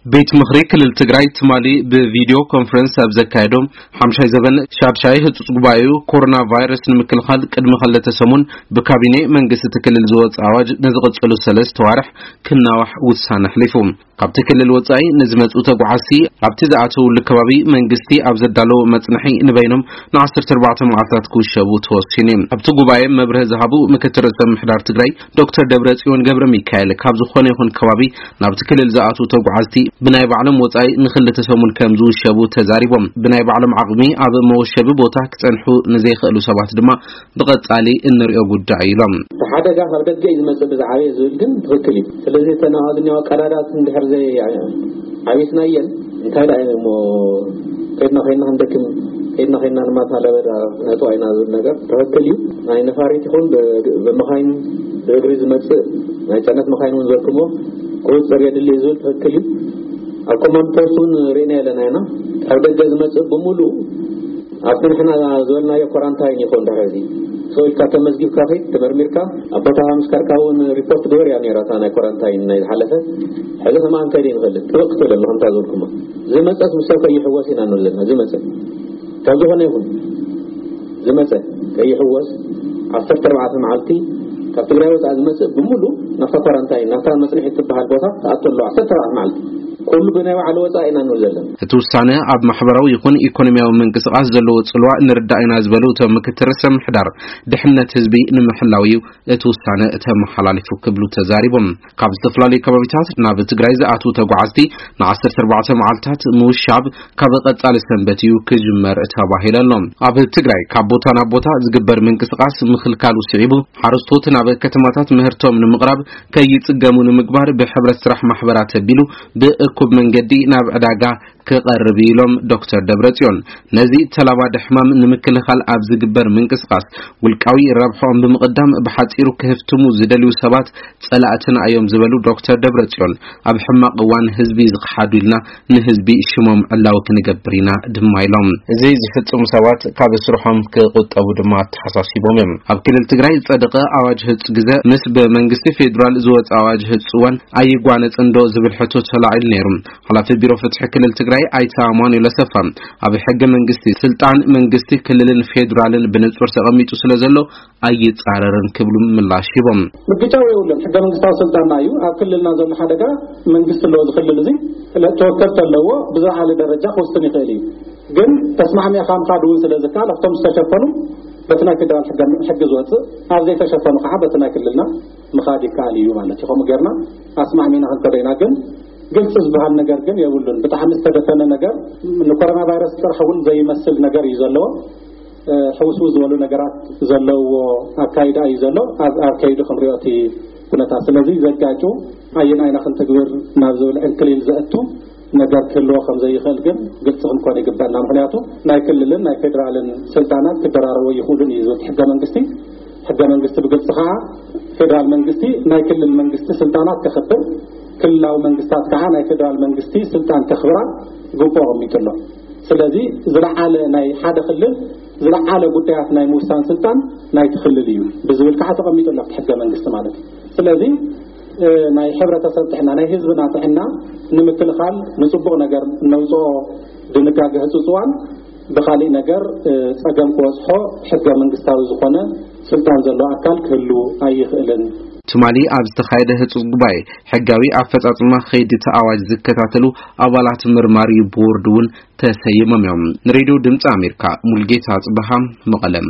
ቤት ምኽሪ ክልል ትግራይ ትማሊ ብቪዲዮ ኮንፈረንስ ኣብ ዘካየዶ ሓምሻይ ዘበን ሻድሻይ ህጹጽ ጉባኤኡ፣ ኮሮና ቫይረስ ንምክልኻል ቅድሚ ክልተ ሰሙን ብካቢኔ መንግስቲ እቲ ክልል ዝወጸ ኣዋጅ ንዝቕጽሉ ሰለስተ ዋርሕ ክናዋሕ ውሳነ ኣሕሊፉ። ካብቲ ክልል ወጻኢ ንዝመጹ ተጓዓዝቲ ኣብቲ ዝኣተውሉ ከባቢ መንግስቲ ኣብ ዘዳለዎ መጽንሒ ንበይኖም ን14 መዓልታት ክውሸቡ ተወሲኑ። ኣብቲ ጉባኤ መብርሂ ዝሃቡ ምክትል ርእሰ ምሕዳር ትግራይ ዶክተር ደብረጽዮን ገብረ ሚካኤል፣ ካብ ዝኾነ ይኹን ከባቢ ናብቲ ክልል ዝኣትዉ ተጓዓዝቲ ብናይ ባዕሎም ወጻኢ ንክልተ ሰሙን ከም ዝውሸቡ ተዛሪቦም። ብናይ ባዕሎም ዓቕሚ ኣብ መወሸቢ ቦታ ክጸንሑ ንዘይኽእሉ ሰባት ድማ ብቐጻሊ እንሪኦ ጉዳይ ኢሎም። እቲ ሓደጋ ካብ ደገ እዩ ዝመጽእ ብዝዓበየ ዝብል ግን ትኽክል እዩ። ስለዚ እተን ኣብዝኛዋ ቀዳዳት እንድሕር ዘይ ዓቢስናየን እንታይ ደኣ እሞ ከይድና ከይድና ክንደክም፣ ከይድና ከይድና ድማ እታ ለበዳ ነእትዋ ኢና ዝብል ነገር ትኽክል እዩ። ናይ ነፋሪት ይኹን ብ-፣ ብመኻይን ብእግሪ ዝመጽእ ናይ ጽዕነት መኻይን እውን ዘርክሞ ቁጽጽር የድሊ እዩ ዝብል ትኽክል እዩ። ኣብ ኮማንድ ፖስት እውን ርኢና ኣለና ኢና። ካብ ደገ ዝመጽእ ብምሉእ ኣብቲ ንሕና ዝበልናዮ ኮራንታይን ይኹን ድሕሪ እዚ ተወልካ ተመዝጊብካ ኸይድ ተመርሚርካ ኣብ ቦታ ምስ ከርካ እውን ሪፖርት ግበር እያ ነይራ እታ ናይ ኮራንታይን ናይ ዝሓለፈ። ሕዚ ከማን ከይደ ንፈልጥ ጥብቅ ክትብል ኣሎ ከምታ ዝበልኩማ ዝመጸስ ምስ ሰብ ከይሕወስ ኢና ንብል ዘለና። ዝመጸ ካብ ዝኾነ ይኹን ዝመጸ ከይሕወስ ዓሰርተ ኣርባዕተ መዓልቲ ካብ ትግራይ ወፃኢ ዝመጽእ ብምሉ ናብታ ኮራንታይን ናብታ መጽንሒ ትበሃል ቦታ ተኣቶ ኣለዋ። ዓሰርተ ኣርባዕተ መዓልቲ ኩሉ ብናይ ባዕሉ ወፃኢ ኢና ንብል ዘለና። እቲ ውሳነ ኣብ ማሕበራዊ ይኹን ኢኮኖሚያዊ ምንቅስቃስ ዘለዎ ጽልዋ ንርዳእ ኢና ዝበሉ እቶም ምክትል ርእሰ ምሕዳር፣ ድሕነት ህዝቢ ንምሕላው እዩ እቲ ውሳነ ተመሓላሊፉ ክብሉ ተዛሪቦም። ካብ ዝተፈላለዩ ከባቢታት ናብ ትግራይ ዝኣትዉ ተጓዓዝቲ ን14 መዓልታት ምውሻብ ካብ ቀጻሊ ሰንበት እዩ ክጅመር ተባሂሉ ኣሎ። ኣብ ትግራይ ካብ ቦታ ናብ ቦታ ዝግበር ምንቅስቃስ ምኽልካሉ ስዒቡ፣ ሓረስቶት ናብ ከተማታት ምህርቶም ንምቕራብ ከይጽገሙ ንምግባር ብሕብረት ስራሕ ማሕበራት ኣቢሉ ብእኩብ መንገዲ ናብ ዕዳጋ ክቐርብ እዩ ኢሎም ዶክተር ደብረጽዮን። ነዚ ተላባዲ ሕማም ንምክልኻል ኣብ ዝግበር ምንቅስቃስ ውልቃዊ ረብሖም ብምቕዳም ብሓጺሩ ክህፍትሙ ዝደልዩ ሰባት ጸላእትና እዮም ዝበሉ ዶክተር ደብረጽዮን፣ ኣብ ሕማቕ እዋን ህዝቢ ዝኸሓዱ ኢልና ንህዝቢ ሽሞም ዕላዊ ክንገብር ኢና ድማ ኢሎም። እዚ ዝፍጽሙ ሰባት ካብ ስርሖም ክቁጠቡ ድማ ኣተሓሳሲቦም እዮም። ኣብ ክልል ትግራይ ዝጸደቐ ኣዋጅ ህጹ ግዘ ምስ ብመንግስቲ ፌዴራል ዝወጸ ኣዋጅ ህጹ እዋን ኣይጓነጽን ዶ ዝብል ሕቶ ተላዒሉ ነይሩ። ሓላፊ ቢሮ ፍትሒ ክልል ትግራይ ኣይተ ኣማኑኤል ኣሰፋ፣ ኣብ ሕገ መንግስቲ ስልጣን መንግስቲ ክልልን ፌዴራልን ብንጹር ተቐሚጡ ስለ ዘሎ ኣይጻረርን ክብሉ ምላሽ ሂቦም። ምግጫው የብሉን። ሕገ መንግስታዊ ስልጣንና እዩ። ኣብ ክልልና ዘሎ ሓደጋ መንግስቲ ኣለዎ። ዝክልል እዚ ተወከልቲ ኣለዎ። ብዝለዓለ ደረጃ ክወስን ይኽእል እዩ። ግን ተስማዕሚዕካ ምኻድ እውን ስለ ዝከኣል ኣብቶም ዝተሸፈኑ በቲ ናይ ፌዴራል ሕገ፣ ሕጊ ዝወፅእ፣ ኣብ ዘይተሸፈኑ ከዓ በቲ ናይ ክልልና ምኻድ ይከኣል እዩ ማለት እዩ። ከምኡ ጌርና ኣስማዕሚዕና ክንከዶ ኢና። ግን ግልፂ ዝበሃል ነገር ግን የብሉን። ብጣዕሚ ዝተደፈነ ነገር፣ ንኮሮና ቫይረስ ጥራሕ እውን ዘይመስል ነገር እዩ ዘለዎ። እ፣ ሕውስውስ ዝበሉ ነገራት ዘለውዎ ኣካይዳ እዩ ዘሎ። ኣብ፣ ኣብ ከይዱ ክንሪኦ እቲ ኩነታት። ስለዚ ዘጋጩ ኣየናይ ኢና ክንትግብር ናብ ዝብል ዕንክሊል ዘእቱ ነገር ክህልዎ ከም ዘይኽእል ግን ግልፂ ክንኮን ይግበኣና። ምኽንያቱ ናይ ክልልን ናይ ፌዴራልን ስልጣናት ክደራረቡ ይኽእሉን እዩ ዝብል ሕገ መንግስቲ። ሕገ መንግስቲ ብግልፂ ከዓ ፌዴራል መንግስቲ ናይ ክልል መንግስቲ ስልጣናት ከኽብር፣ ክልላዊ መንግስታት ከዓ ናይ ፌዴራል መንግስቲ ስልጣን ከኽብራ ግቡእ ኣቐሚጡ ኣሎ። ስለዚ ዝለዓለ ናይ ሓደ ክልል ዝለዓለ ጉዳያት ናይ ምውሳን ስልጣን ናይቲ ክልል እዩ ብዝብል ከዓ ተቐሚጡ ኣሎ ኣብቲ ሕገ መንግስቲ ማለት እዩ። ስለዚ፣ እ፣ ናይ ሕብረተሰብ ጥዕና፣ ናይ ህዝብና ጥዕና ንምክልኻል ንፅቡቕ ነገር እነውፅኦ ድንጋገ ህፁፅ እዋን ብኻሊእ ነገር፣ እ፣ ፀገም ክበፅሖ ሕገ መንግስታዊ ዝኾነ ስልጣን ዘለዎ ኣካል ክህሉ ኣይኽእልን። ትማሊ ኣብ ዝተኻየደ ህጹጽ ጉባኤ፣ ሕጋዊ ኣፈጻጽማ ከይዲ እቲ ኣዋጅ ዝከታተሉ ኣባላት መርማሪ ቦርድ እውን ተሰይሞም እዮም። ንሬድዮ ድምፂ ኣሜሪካ፣ ሙልጌታ ጽበሃ፣ መቐለም።